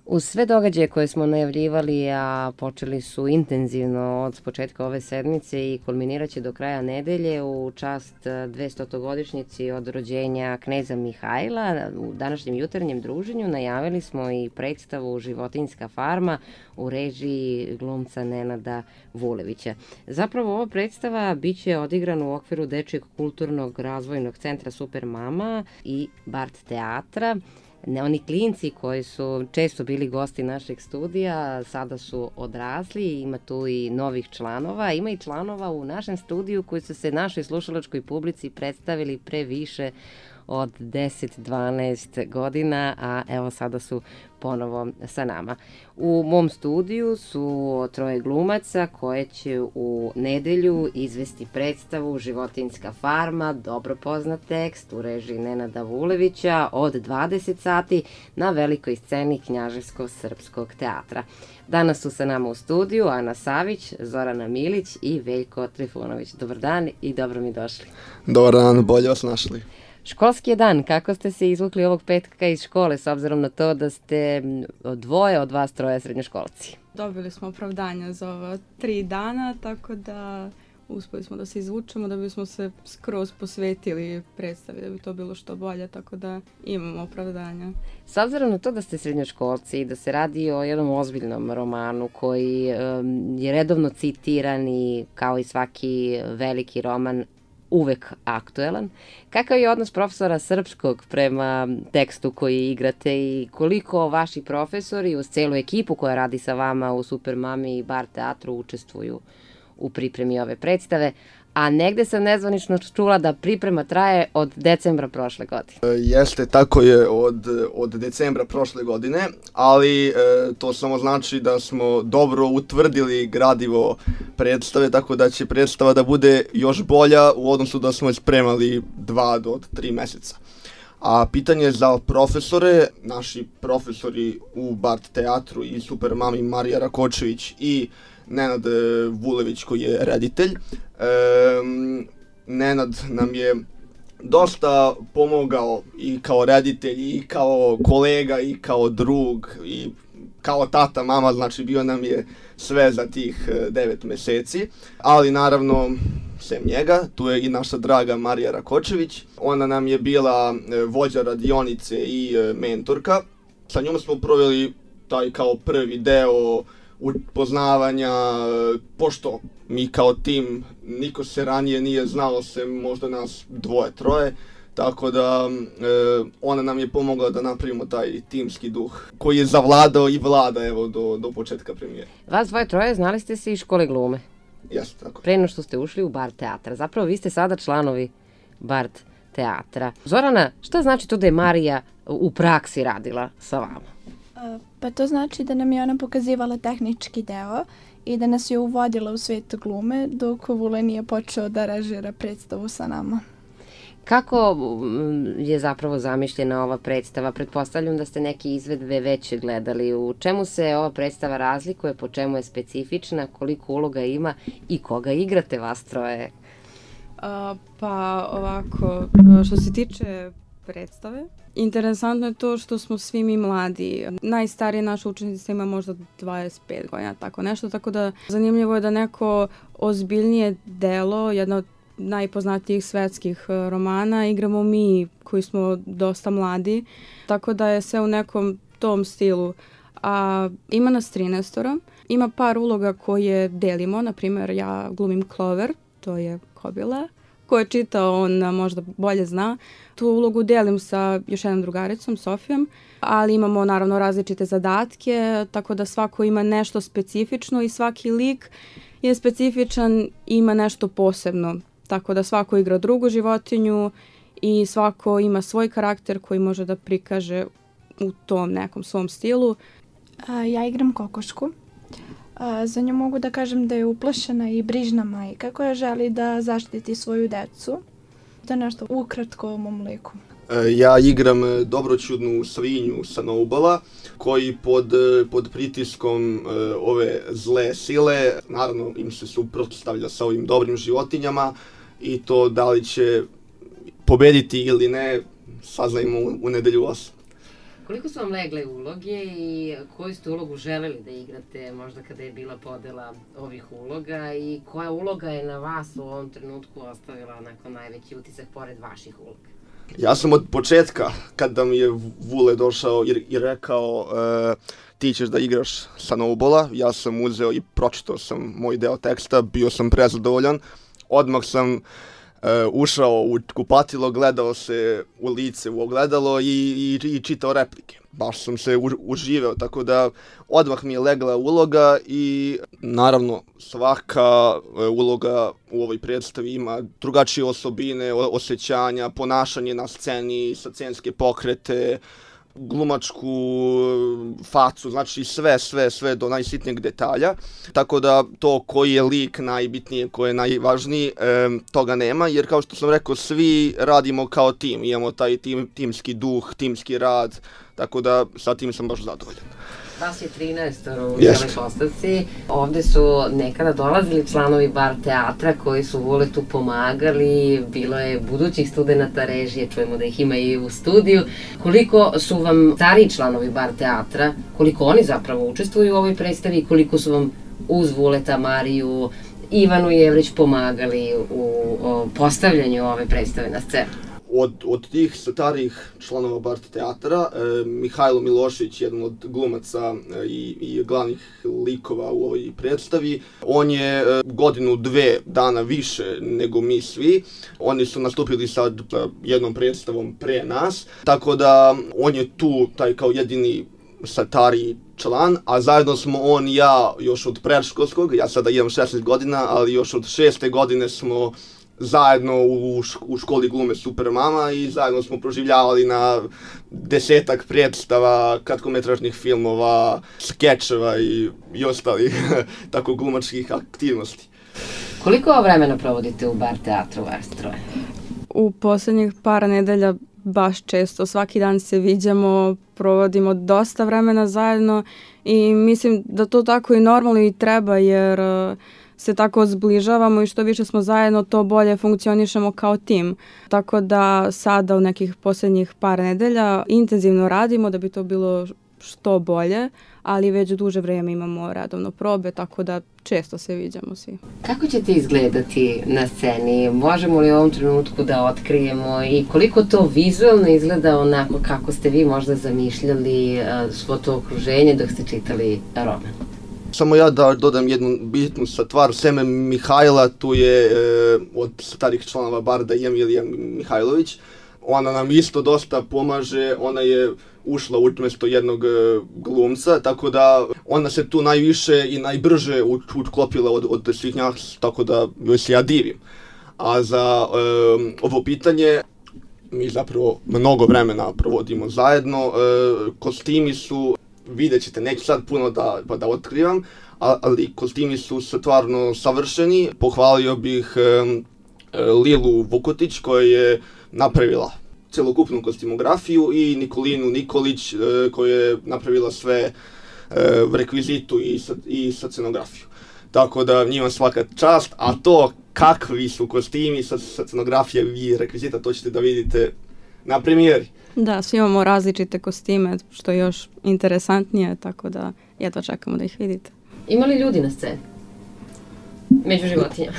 Uz sve događaje koje smo najavljivali, a počeli su intenzivno od početka ove sedmice i kulminirat će do kraja nedelje u čast 200-godišnjici od rođenja kneza Mihajla, u današnjem jutarnjem druženju najavili smo i predstavu Životinjska farma u režiji glumca Nenada Vulevića. Zapravo ova predstava biće odigrana u okviru Dečijeg kulturnog razvojnog centra Super Mama i Bart teatra. Oni klinci koji su često bili gosti našeg studija, sada su odrasli, ima tu i novih članova. Ima i članova u našem studiju koji su se našoj slušalačkoj publici predstavili pre više od 10-12 godina, a evo sada su ponovo sa nama. U mom studiju su troje glumaca koje će u nedelju izvesti predstavu Životinjska farma, dobro poznat tekst u režiji Nenada Vulevića od 20 sati na velikoj sceni Knjaževsko-srpskog teatra. Danas su sa nama u studiju Ana Savić, Zorana Milić i Veljko Trifunović. Dobar dan i dobro mi došli. Dobar dan, bolje vas našli. Školski je dan. Kako ste se izvukli ovog petka iz škole s obzirom na to da ste dvoje od vas troje srednjoškolci? Dobili smo opravdanja za ova 3 dana, tako da uspeli smo da se izvučemo, da bismo se skroz posvetili predstavi, da bi to bilo što bolje, tako da imamo opravdanja. S obzirom na to da ste srednjoškolci i da se radi o jednom ozbiljnom romanu koji je redovno citiran i kao i svaki veliki roman uvek aktuelan. Kakav je odnos profesora srpskog prema tekstu koji igrate i koliko vaši profesori uz celu ekipu koja radi sa vama u Super Mami i Bart teatru učestvuju u pripremi ove predstave? A negde sam nezvanično čula da priprema traje od decembra prošle godine. Jeste, tako je od decembra prošle godine, ali to samo znači da smo dobro utvrdili gradivo predstave, tako da će predstava da bude još bolja u odnosu da smo je spremali 2 do 3 meseca. A pitanje za profesore, naši profesori u Bart teatru i Super Mami Marija Rakočević i Nenad Vulević koji je reditelj. Nenad nam je dosta pomogao i kao reditelj i kao kolega i kao drug i kao tata, mama, znači bio nam je sve za tih 9 meseci, ali naravno sem njega, tu je i naša draga Marija Rakočević, ona nam je bila vođa radionice i mentorka. Sa njom smo proveli taj kao prvi deo upoznavanja, pošto mi kao tim, niko se ranije nije znalo, sem možda nas 2-3, tako da ona nam je pomogla da napravimo taj timski duh koji je zavladao i vlada evo do početka premijere. Vas 2-3 znali ste se iz škole glume? Jeste, tako. Pre nego što ste ušli u Bart teatra. Zapravo vi ste sada članovi Bart teatra. Zorana, šta znači to da je Marija u praksi radila sa vama? Pa to znači da nam je ona pokazivala tehnički deo i da nas je uvodila u svet glume dok Vule nije počeo da režira predstavu sa nama. Kako je zapravo zamišljena ova predstava? Pretpostavljam da ste neke izvedbe već gledali. U čemu se ova predstava razlikuje, po čemu je specifična, koliko uloga ima i koga igrate vas troje? Pa ovako, što se tiče predstave, interesantno je to što smo svi mi mladi. Najstarija naša učenica ima možda 25 godina, tako nešto, tako da zanimljivo je da neko ozbiljnije delo, jedna od najpoznatijih svetskih romana, igramo mi koji smo dosta mladi, tako da je sve u nekom tom stilu. A ima nas 13, ima par uloga koje delimo, na primjer ja glumim Clover, to je kobila. Ko je čitao, on možda bolje zna. Tu ulogu delim sa još jednom drugaricom, Sofijom, ali imamo naravno različite zadatke, tako da svako ima nešto specifično i svaki lik je specifičan, ima nešto posebno. Tako da svako igra drugu životinju i svako ima svoj karakter koji može da prikaže u tom nekom svom stilu. Ja igram kokošku. Za nju mogu da kažem da je uplašena i brižna majka koja želi da zaštiti svoju decu. To je nešto ukratko o mom liku. Ja igram dobroćudnu svinju Snowballa koji pod pritiskom ove zle sile, naravno im se suprotstavlja sa ovim dobrim životinjama i to da li će pobediti ili ne saznajmo u nedelju 8. Koliko su vam legle uloge i koju ste ulogu želeli da igrate možda kada je bila podela ovih uloga i koja uloga je na vas u ovom trenutku ostavila onako najveći utisak pored vaših uloga? Ja sam od početka, kada mi je Vule došao i rekao ti ćeš da igraš Snowballa, ja sam uzeo i pročitao sam moj deo teksta, bio sam prezadovoljan. Odmah sam ušao u kupatilo, gledao se u lice u ogledalo i čitao replike. Baš sam se uživao, tako da odmah mi je legla uloga i naravno svaka uloga u ovoj predstavi ima drugačije osobine, osjećanja, ponašanje na sceni, scenske pokrete, glumačku facu, znači sve do najsitnijeg detalja. Tako da to koji je lik najbitnije, koji je najvažniji, toga nema, jer kao što sam rekao, svi radimo kao tim, imamo taj timski duh, timski rad, tako da sa tim sam baš zadovoljan. Vas je 13 u cijeloj postavci. Ovde su nekada dolazili članovi bar teatra koji su Vuletu pomagali, bilo je budućih studenata režije, čujemo da ih ima i u studiju. Koliko su vam stariji članovi bar teatra, koliko oni zapravo učestvuju u ovoj predstavi i koliko su vam uz Vuleta, Mariju, Ivanu Jevrić pomagali u postavljanju ove predstave na scenu? Od tih starijih članova bar teatra, Mihajlo Milošević, jedan od glumaca i glavnih likova u ovoj predstavi, on je godinu, 2 dana više nego mi svi. Oni su nastupili sad jednom predstavom pre nas, tako da on je tu taj kao jedini stariji član, a zajedno smo on i ja još od predškolskog, ja sada imam 16 godina, ali još od 6. godine smo zajedno u školi glume Supermama i zajedno smo proživljavali na 10-ak predstava, kratkometražnih filmova, skečeva i ostalih tako glumačkih aktivnosti. Koliko vremena provodite u bar teatru vas troje? U posljednjih par nedelja baš često, svaki dan se viđamo, provodimo dosta vremena zajedno i mislim da to tako i normalno i treba jer se tako zbližavamo i što više smo zajedno, to bolje funkcionišemo kao tim. Tako da sada u nekih posljednjih par nedelja intenzivno radimo da bi to bilo što bolje, ali već duže vrijeme imamo redovno probe, tako da često se viđamo svi. Kako ćete izgledati na sceni? Možemo li u ovom trenutku da otkrijemo i koliko to vizualno izgleda onako kako ste vi možda zamišljali svo to okruženje dok ste čitali roman? Samo ja da dodam jednu bitnu stvar, seme Mihajla, tu je od starih članova Barda Emilija Mihajlović. Ona nam isto dosta pomaže, ona je ušla umjesto jednog glumca, tako da ona se tu najviše i najbrže uklopila od svih nas, tako da joj se ja divim. A za ovo pitanje, mi zapravo mnogo vremena provodimo zajedno, kostimi su, vidjet ćete, neću sad puno da otkrivam, ali kostimi su stvarno savršeni. Pohvalio bih Lilu Vukotić koja je napravila celokupnu kostimografiju i Nikolinu Nikolić koja je napravila sve rekvizitu i scenografiju. Tako da njima svaka čast, a to kakvi su kostimi, scenografija i rekvizita, to ćete da vidite na premijeri. Da, svi imamo različite kostime, što je još interesantnije, tako da jedva čekamo da ih vidite. Ima li ljudi na sceni? Među životinjama?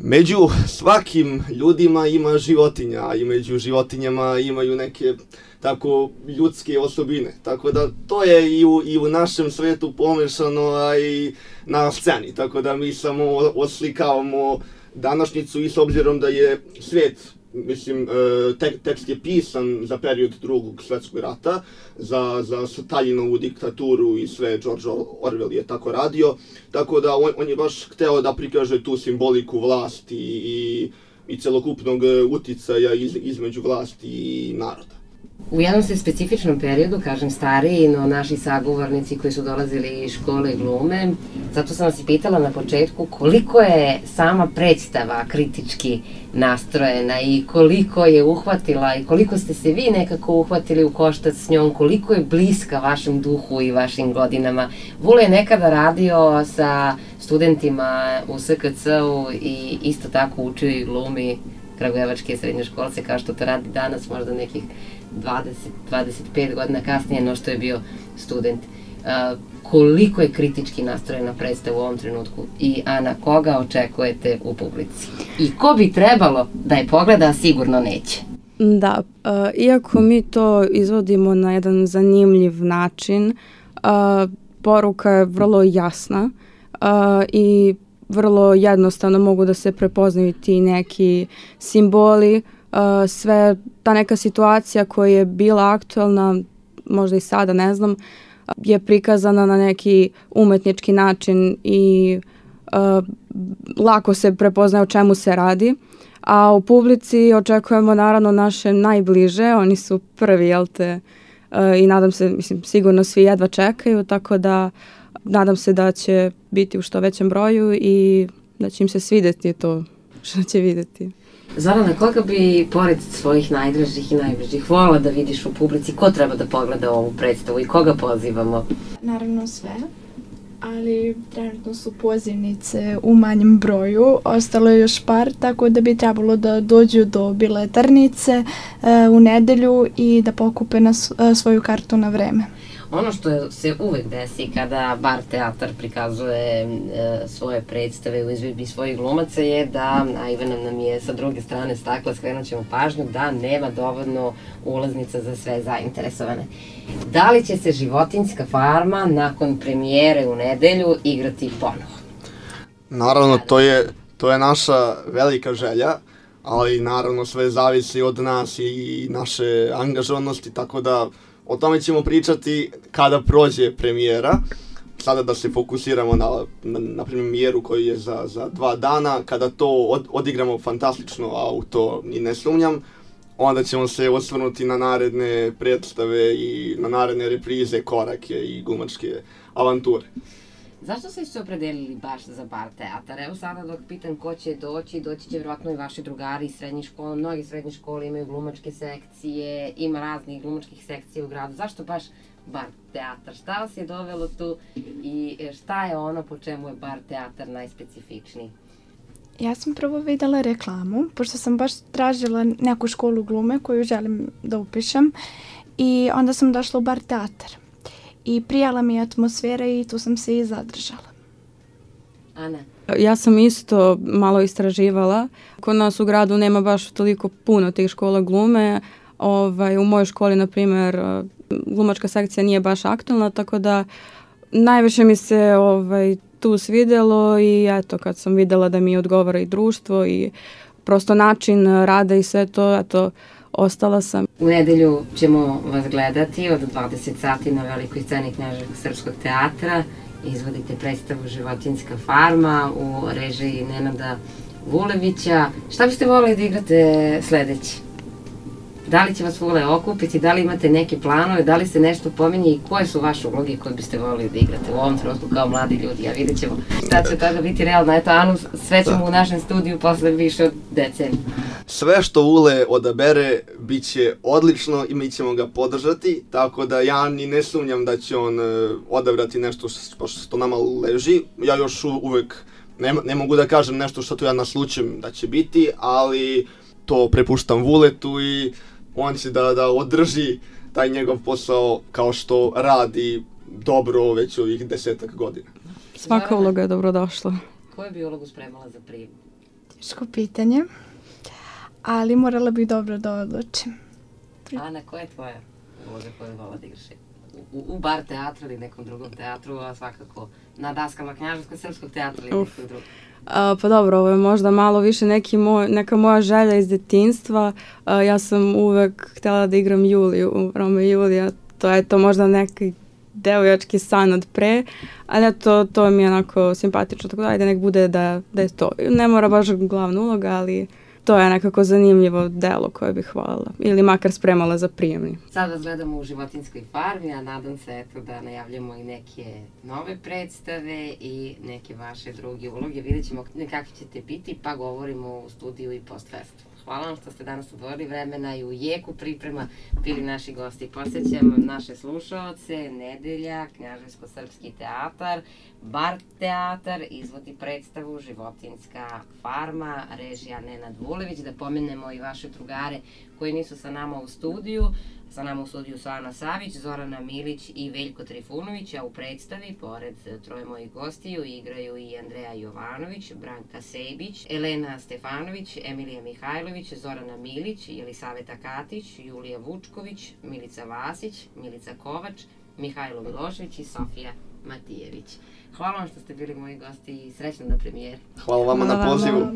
Među svakim ljudima ima životinja, a i među životinjama imaju neke tako ljudske osobine. Tako da to je i u našem svetu pomešano, a i na sceni. Tako da mi samo oslikavamo današnjicu i s obzirom da je svijet, mislim, tekst je pisan za period Drugog svjetskog rata, za Staljinovu diktaturu i sve, George Orwell je tako radio, tako da on je baš hteo da prikaže tu simboliku vlasti i celokupnog uticaja između vlasti i naroda. U jednom se specifičnom periodu, kažem stariji, no naši sagovornici koji su dolazili iz škole glume, zato sam vas i pitala na početku koliko je sama predstava kritički nastrojena i koliko je uhvatila i koliko ste se vi nekako uhvatili u koštac s njom, koliko je bliska vašem duhu i vašim godinama. Vule je nekada radio sa studentima u SKC-u i isto tako učio i glumi kragujevačke srednjoškolce kao što to radi danas, možda nekih 20-25 godina kasnije no što je bio student. Koliko je kritički nastrojena predstava u ovom trenutku i Ana, koga očekujete u publici? I ko bi trebalo da je pogleda, a sigurno neće? Da, iako mi to izvodimo na jedan zanimljiv način, poruka je vrlo jasna i vrlo jednostavno mogu da se prepoznaju ti neki simboli, sve ta neka situacija koja je bila aktualna, možda i sada, ne znam, je prikazana na neki umetnički način i lako se prepoznaje o čemu se radi. A u publici očekujemo naravno naše najbliže, oni su prvi, jel te, i nadam se, mislim, sigurno svi jedva čekaju, tako da nadam se da će biti u što većem broju i da će im se svidjeti to što će vidjeti. Zorana, koga bi pored svojih najdražih i najbližih volila da vidiš u publici? Ko treba da pogleda ovu predstavu i koga pozivamo? Naravno sve, ali trenutno su pozivnice u manjem broju. Ostalo je još par, tako da bi trebalo da dođu do biletarnice u nedelju i da pokupe svoju kartu na vreme. Ono što se uvek desi kada Bar teatar prikazuje svoje predstave u izvedbi svojih glumaca je da, a Ivana nam je sa druge strane stakla, skrenut ćemo pažnju, da nema dovoljno ulaznica za sve zainteresovane. Da li će se Životinjska farma nakon premijere u nedelju igrati ponovo? Naravno, to je naša velika želja, ali naravno sve zavisi od nas i naše angažovanosti, tako da o tome ćemo pričati kada prođe premijera. Sada da se fokusiramo na premijeru koji je za 2 dana. Kada to odigramo fantastično, a u to ni ne sumnjam, onda ćemo se osvrnuti na naredne predstave i na naredne reprize, korake i glumačke avanture. Zašto ste se opredelili baš za Bar teatar? Evo sada dok pitam ko će doći će vjerojatno i vaši drugari iz srednjih škola. Mnogi srednje škole imaju glumačke sekcije, ima raznih glumačkih sekcija u gradu. Zašto baš Bar teatar? Šta vas je dovelo tu i šta je ono po čemu je Bar teatar najspecifičniji? Ja sam prvo videla reklamu, pošto sam baš tražila neku školu glume koju želim da upišem i onda sam došla u Bar teatar. I prijala mi je atmosfera i tu sam se i zadržala. Ana? Ja sam isto malo istraživala. Kod nas u gradu nema baš toliko puno tih škola glume. U mojoj školi, na primjer, glumačka sekcija nije baš aktualna, tako da najviše mi se tu svidjelo i eto, kad sam vidjela da mi odgovara i društvo i prosto način rada i sve to, eto, ostala sam. U nedelju ćemo vas gledati od 20 sati na velikoj sceni Knjaževskog srpskog teatra. Izvodite predstavu Životinjska farma u režiji Nenada Vulevića. Šta biste volili da igrate sledeći? Da li će vas Vule okupiti, da li imate neke planove, da li se nešto pominje i koje su vaše uloge koje biste volili da igrate u ovom trenutku kao mladi ljudi? A vidjet ćemo šta će toga biti realno. Eto, Anu, sve ćemo u našem studiju posle više od decenije. Sve što Vule odabere bit će odlično i mi ćemo ga podržati, tako da ja ni ne sumnjam da će on odabrati nešto što nama leži. Ja još uvek ne mogu da kažem nešto što tu ja naslučujem da će biti, ali to prepuštam Vuletu i on će da održi taj njegov posao kao što radi dobro već ovih 10 godina. Svaka uloga je dobrodošla. Koju bi ulogu spremala za prijem? Teško pitanje, ali morala bih dobro da odlučim. Ana, koja je tvoja uloga koju vola da igraš? U Bar teatru ili nekom drugom teatru, a svakako na daskama Knjaževskog srpskog teatra ili nekog drugog? Pa dobro, ovo je možda malo više neka moja želja iz detinjstva. Ja sam uvek htjela da igram Juliju u Romeo i Julija. To je to možda neki devojački san od pre, ali to mi je onako simpatično, tako da ajde nek bude da je to. Ne mora baš glavna uloga, ali to je nekako zanimljivo delo koje bih voljela ili makar spremala za prijemni. Sad vas gledamo u Životinjskoj farmi, a nadam se da najavljamo i neke nove predstave i neke vaše druge uloge. Vidjet ćemo kakvi ćete biti, pa govorimo u studiju i post-festu. Hvala vam što ste danas odvojili vremena i u jeku priprema bili naši gosti. Posjećam naše slušaoce, Nedelja, Knjaževsko-srpski teatar, Bar teatar, izvodi predstavu Životinjska farma, režija Nenad Vulević. Da pomenemo i vaše drugare koji nisu sa nama u studiju. Sa nama u studiju su Ana Savić, Zorana Milić i Veljko Trifunović, a u predstavi, pored troje mojih gostiju, igraju i Andreja Jovanović, Branka Sejbić, Elena Stefanović, Emilija Mihajlović, Zorana Milić, Jelisaveta Katić, Julija Vučković, Milica Vasić, Milica Kovač, Mihajlo Milošević i Sofija Matijević. Hvala vam što ste bili moji gosti i srećno na premijeri. Hvala vama na pozivu.